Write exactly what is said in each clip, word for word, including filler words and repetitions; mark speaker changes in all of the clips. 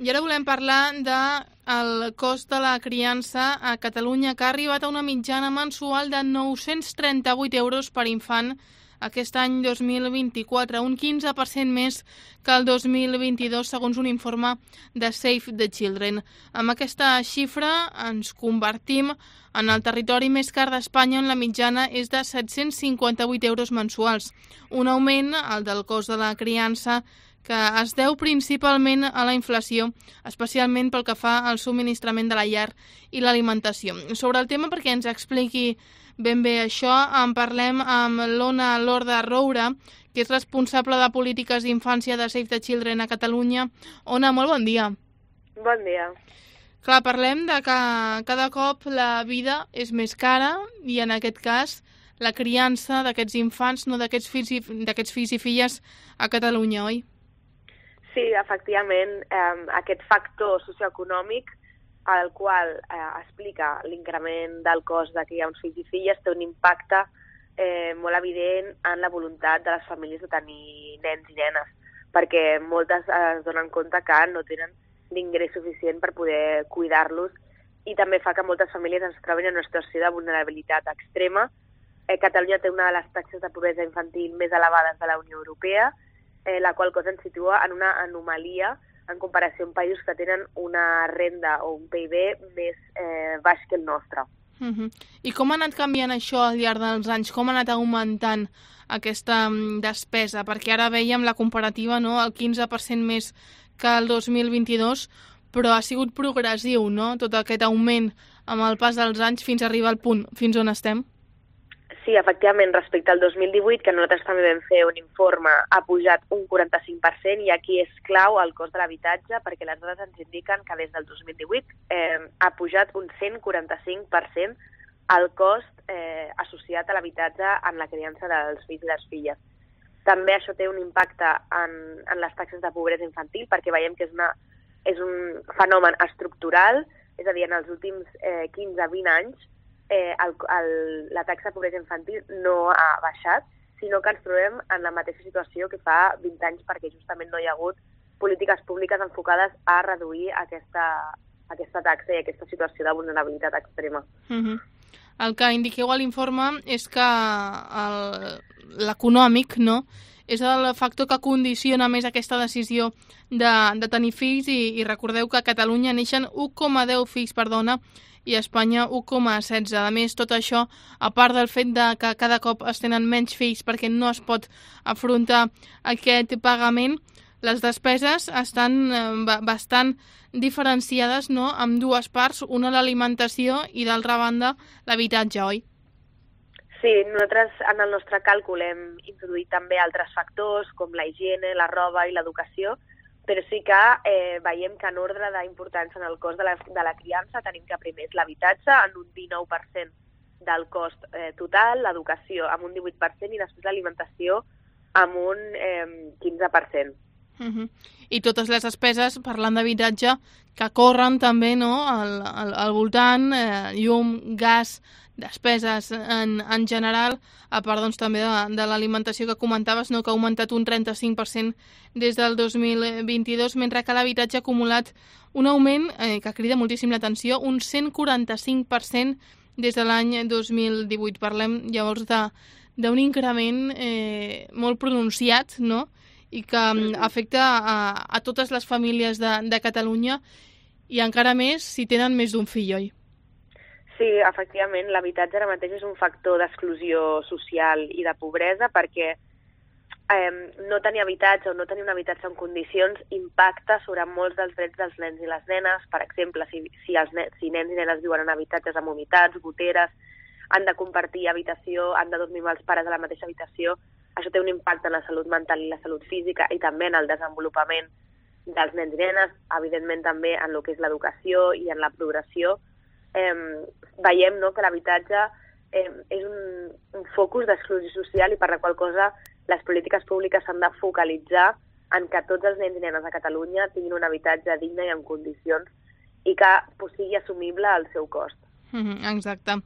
Speaker 1: I ara volem parlar del cost de la criança a Catalunya, que ha arribat a una mitjana mensual de nou-cents trenta-vuit euros per infant aquest any dos mil vint-i-quatre, un quinze per cent més que el dos mil vint-i-dos, segons un informe de Save the Children. Amb aquesta xifra ens convertim en el territori més car d'Espanya, on la mitjana és de set-cents cinquanta-vuit euros mensuals. Un augment, el del cost de la criança, que es deu principalment a la inflació, especialment pel que fa al subministrament de la llar i l'alimentació. Sobre el tema, perquè ens expliqui ben bé això, en parlem amb l'Ona Lorda Roura, que és responsable de polítiques d'infància de Save the Children a Catalunya. Ona, molt bon dia.
Speaker 2: Bon dia.
Speaker 1: Clar, parlem de que cada cop la vida és més cara i en aquest cas la criança d'aquests infants, no d'aquests fills, i, d'aquests fills i filles a Catalunya, oi?
Speaker 2: Sí, efectivament, eh, aquest factor socioeconòmic el qual eh, explica l'increment del cost de criar uns fills i filles té un impacte eh, molt evident en la voluntat de les famílies de tenir nens i nenes, perquè moltes es donen compte que no tenen l'ingrés suficient per poder cuidar-los i també fa que moltes famílies es trobin en una situació de vulnerabilitat extrema. Eh, Catalunya té una de les taxes de pobresa infantil més elevades de la Unió Europea, eh, la qual cosa ens situa en una anomalia en comparació amb països que tenen una renda o un P I B més eh, baix que el nostre.
Speaker 1: Uh-huh. I com ha anat canviant això al llarg dels anys? Com ha anat augmentant aquesta despesa? Perquè ara veiem la comparativa, no?, el quinze per cent més que el dos mil vint-i-dos, però ha sigut progressiu, no?, tot aquest augment amb el pas dels anys fins a arribar al punt fins on estem.
Speaker 2: Sí, efectivament, respecte al dos mil divuit, que nosaltres també vam fer un informe, ha pujat un quaranta-cinc per cent i aquí és clau el cost de l'habitatge perquè les dades ens indiquen que des del dos mil divuit eh, ha pujat un cent quaranta-cinc per cent el cost eh, associat a l'habitatge en la criança dels fills i les filles. També això té un impacte en, en les taxes de pobresa infantil perquè veiem que és, una, és un fenomen estructural, és a dir, en els últims eh, quinze a vint anys Eh, el, el, la taxa de pobresa infantil no ha baixat, sinó que ens trobem en la mateixa situació que fa vint anys perquè justament no hi ha hagut polítiques públiques enfocades a reduir aquesta, aquesta taxa i aquesta situació de vulnerabilitat extrema.
Speaker 1: Uh-huh. El que indiqueu a l'informe és que l'econòmic, no?, és el factor que condiciona més aquesta decisió de, de tenir fills i, i recordeu que a Catalunya neixen un coma deu fills per dona i a Espanya un coma setze. A més, tot això, a part del fet de que cada cop es tenen menys fills perquè no es pot afrontar aquest pagament, les despeses estan eh, bastant diferenciades, no?, amb dues parts, una l'alimentació i d'altra banda l'habitatge, oi?
Speaker 2: Sí, nosaltres en el nostre càlcul hem introduït també altres factors com la higiene, la roba i l'educació, però sí que eh, veiem que en ordre d'importància en el cost de la, de la criança tenim que primer és l'habitatge en un dinou per cent del cost eh, total, l'educació amb un divuit per cent i després l'alimentació amb un eh, quinze per cent.
Speaker 1: Uh-huh. I totes les despeses, parlant d'habitatge, que corren també, no?, al, al, al voltant, eh, llum, gas, despeses en, en general, a part doncs, també de, de l'alimentació que comentaves, no?, que ha augmentat un trenta-cinc per cent des del dos mil vint-i-dos, mentre que l'habitatge ha acumulat un augment eh, que crida moltíssim l'atenció, un cent quaranta-cinc per cent des de l'any dos mil divuit. Parlem llavors d'un increment eh, molt pronunciat, no?, i que afecta a, a totes les famílies de, de Catalunya i encara més si tenen més d'un fill, oi?
Speaker 2: Sí, efectivament, l'habitatge ara mateix és un factor d'exclusió social i de pobresa perquè eh, no tenir habitatge o no tenir un habitatge en condicions impacta sobre molts dels drets dels nens i les nenes. Per exemple, si, si, els nens, si nens i nenes viuen en habitatges amb humitats, goteres, han de compartir habitació, han de dormir amb els pares a la mateixa habitació, això té un impacte en la salut mental i la salut física i també en el desenvolupament dels nens i nenes, evidentment també en el que és l'educació i en la progressió. Eh, veiem, no?, que l'habitatge eh, és un, un focus d'exclusió social i per la qual cosa les polítiques públiques s'han de focalitzar en que tots els nens i nenes a Catalunya tinguin un habitatge digne i en condicions i que sigui assumible el seu cost.
Speaker 1: Mm-hmm, exacte.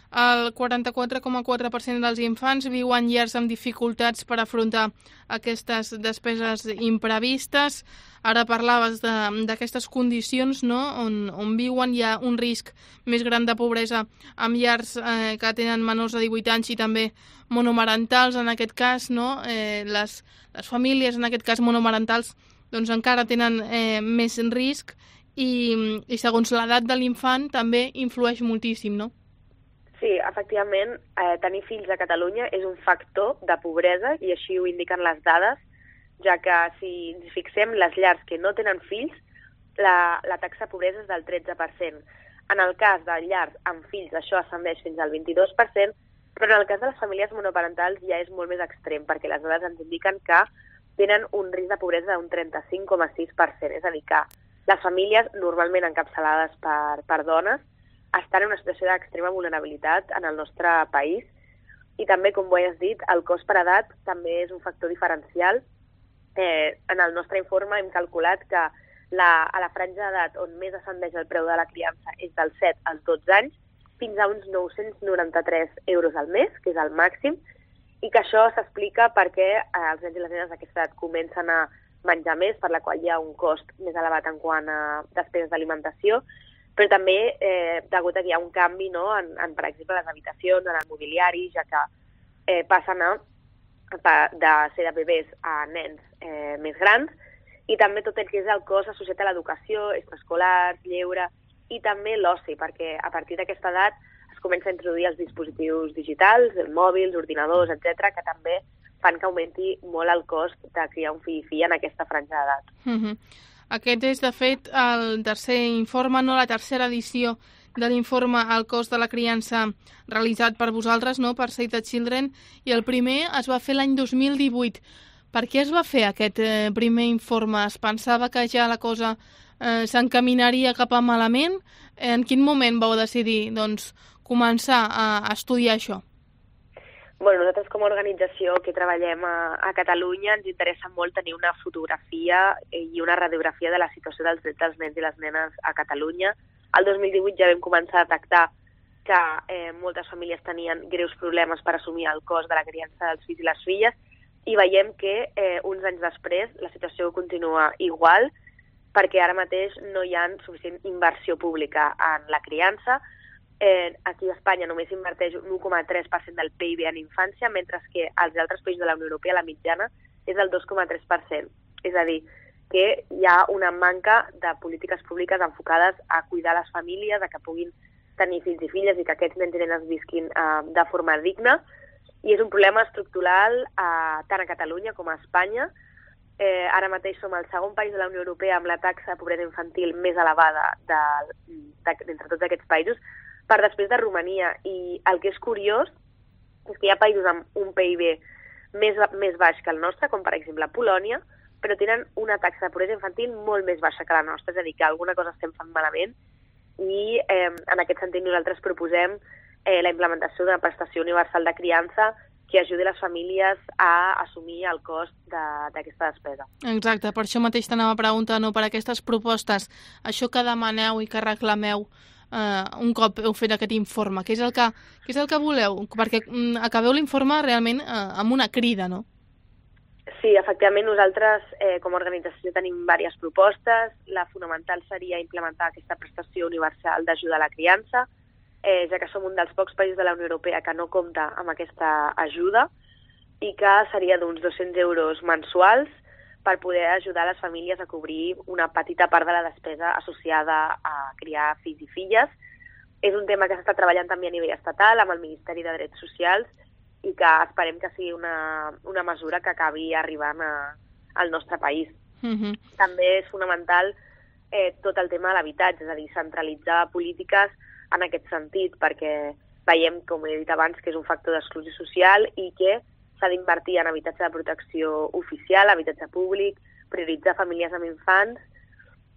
Speaker 1: El quaranta-quatre coma quatre per cent dels infants viu en llars amb dificultats per afrontar aquestes despeses imprevistes. Ara parlaves d'aquestes condicions, no?, on, on viuen. Hi ha un risc més gran de pobresa amb llars eh, que tenen menors de divuit anys i també monomarentals, en aquest cas, no? Eh, les, les famílies, en aquest cas monomarentals, doncs encara tenen eh, més risc i, i segons l'edat de l'infant també influeix moltíssim, no?
Speaker 2: Sí, efectivament, eh, tenir fills a Catalunya és un factor de pobresa i així ho indiquen les dades, ja que si ens fixem, les llars que no tenen fills, la, la taxa de pobresa és del tretze per cent. En el cas de llars amb fills això ascendeix fins al vint-i-dos per cent, però en el cas de les famílies monoparentals ja és molt més extrem, perquè les dades ens indiquen que tenen un risc de pobresa d'un trenta-cinc coma sis per cent. És a dir, que les famílies normalment encapçalades per, per dones estan en una situació d'extrema vulnerabilitat en el nostre país i també, com ho has dit, el cost per edat també és un factor diferencial. Eh, en el nostre informe hem calculat que la, a la franja d'edat on més ascendeix el preu de la criança és del set als dotze anys, fins a uns nou-cents noranta-tres euros al mes, que és el màxim, i que això s'explica perquè eh, els nens i les nenes d'aquesta edat comencen a menjar més, per la qual hi ha un cost més elevat en quant a despeses d'alimentació, però també eh, degut a que hi ha un canvi, no, en, en, per exemple, les habitacions, en el mobiliari, ja que eh, passen a, de ser de bebès a nens eh, més grans, i també tot el que és el cost associat a l'educació, extraescolars, lleure, i també l'oci, perquè a partir d'aquesta edat es comença a introduir els dispositius digitals, mòbils, ordinadors, etcètera, que també fan que augmenti molt el cost de criar un fill i filla en aquesta franja d'edat.
Speaker 1: Mm-hmm. Aquest és, de fet, el tercer informe, no la tercera edició de l'informe al cost de la criança realitzat per vosaltres, no, per Save the Children, i el primer es va fer l'any dos mil divuit. Per què es va fer aquest eh, primer informe? Es pensava que ja la cosa eh, s'encaminaria cap a malament? En quin moment vau decidir, doncs, començar a, a estudiar això?
Speaker 2: Bueno, nosaltres com a organització que treballem a, a Catalunya ens interessa molt tenir una fotografia i una radiografia de la situació dels drets dels nens i les nenes a Catalunya. El dos mil divuit ja vam començar a detectar que eh, moltes famílies tenien greus problemes per assumir el cost de la criança dels fills i les filles i veiem que eh, uns anys després la situació continua igual perquè ara mateix no hi ha suficient inversió pública en la criança. Eh, aquí a Espanya només inverteix un un coma tres per cent del P I B en infància, mentre que als altres països de la Unió Europea la mitjana és del dos coma tres per cent. És a dir, que hi ha una manca de polítiques públiques enfocades a cuidar les famílies, a que puguin tenir fills i filles i que aquests nens i nenes visquin eh, de forma digna. I és un problema estructural eh, tant a Catalunya com a Espanya. Eh, ara mateix som el segon país de la Unió Europea amb la taxa de pobresa infantil més elevada d'entre tots aquests països, per després de Romania. I el que és curiós és que hi ha països amb un P I B més, més baix que el nostre, com per exemple Polònia, però tenen una taxa de pobresa infantil molt més baixa que la nostra, és a dir, que alguna cosa estem fent malament i eh, en aquest sentit nosaltres proposem eh, la implementació d'una prestació universal de criança que ajudi les famílies a assumir el cost d'aquesta de, despesa.
Speaker 1: Exacte, per això mateix t'anava a preguntar, no, per aquestes propostes, això que demaneu i que reclameu Uh, un cop heu fet aquest informe, què és el que, què és el que voleu? Perquè um, acabeu l'informe realment uh, amb una crida, no?
Speaker 2: Sí, efectivament, nosaltres eh, com a organització tenim diverses propostes. La fonamental seria implementar aquesta prestació universal d'ajuda a la criança, eh, ja que som un dels pocs països de la Unió Europea que no compta amb aquesta ajuda i que seria d'uns dos-cents euros mensuals per poder ajudar les famílies a cobrir una petita part de la despesa associada a criar fills i filles. És un tema que s'està treballant també a nivell estatal amb el Ministeri de Drets Socials i que esperem que sigui una, una mesura que acabi arribant a, al nostre país.
Speaker 1: Mm-hmm.
Speaker 2: També és fonamental eh, tot el tema de l'habitatge, és a dir, centralitzar polítiques en aquest sentit, perquè veiem, com he dit abans, que és un factor d'exclusió social i que s'ha d'invertir en habitatge de protecció oficial, habitatge públic, prioritzar famílies amb infants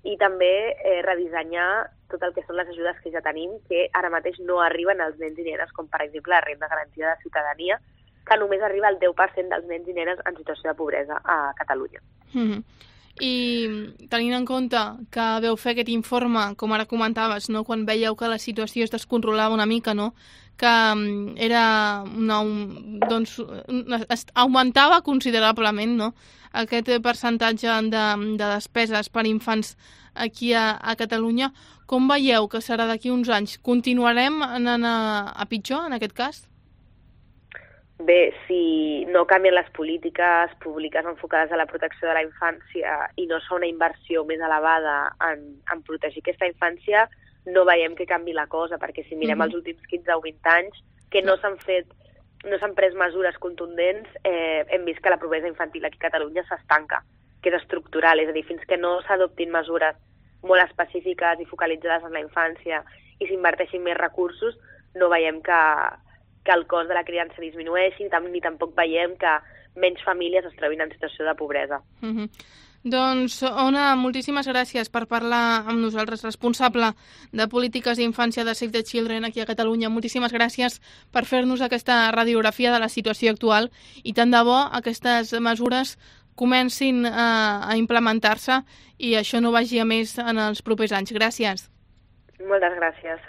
Speaker 2: i també eh, redissenyar tot el que són les ajudes que ja tenim, que ara mateix no arriben als nens i nenes, com per exemple la renda garantida de ciutadania, que només arriba al deu per cent dels nens i nenes en situació de pobresa a Catalunya.
Speaker 1: Mm-hmm. I tenint en compte que veu fer aquest informe, com ara comentaves, no? Quan veieu que la situació es descontrolava una mica, no? Que era una, un, doncs, es augmentava considerablement, no? Aquest percentatge de, de despeses per infants aquí a, a Catalunya. Com veieu que serà d'aquí uns anys? Continuarem anant a, a pitjor, en aquest cas?
Speaker 2: Bé, si no canvien les polítiques públiques enfocades a la protecció de la infància i no es fa una inversió més elevada en, en protegir aquesta infància, no veiem que canvi la cosa, perquè si mirem mm-hmm. els últims quinze o vint anys, que no s'han fet, no s'han pres mesures contundents, eh, hem vist que la pobresa infantil aquí a Catalunya s'estanca, que és estructural, és a dir, fins que no s'adoptin mesures molt específiques i focalitzades en la infància i s'inverteixin més recursos, no veiem que, que el cost de la criança disminueixi, ni tampoc veiem que menys famílies es trobin en situació de pobresa.
Speaker 1: Mm-hmm. Doncs, Ona, moltíssimes gràcies per parlar amb nosaltres, responsable de polítiques d'infància de Save the Children aquí a Catalunya. Moltíssimes gràcies per fer-nos aquesta radiografia de la situació actual i tant de bo aquestes mesures comencin a, a implementar-se i això no vagi a més en els propers anys. Gràcies.
Speaker 2: Moltes gràcies.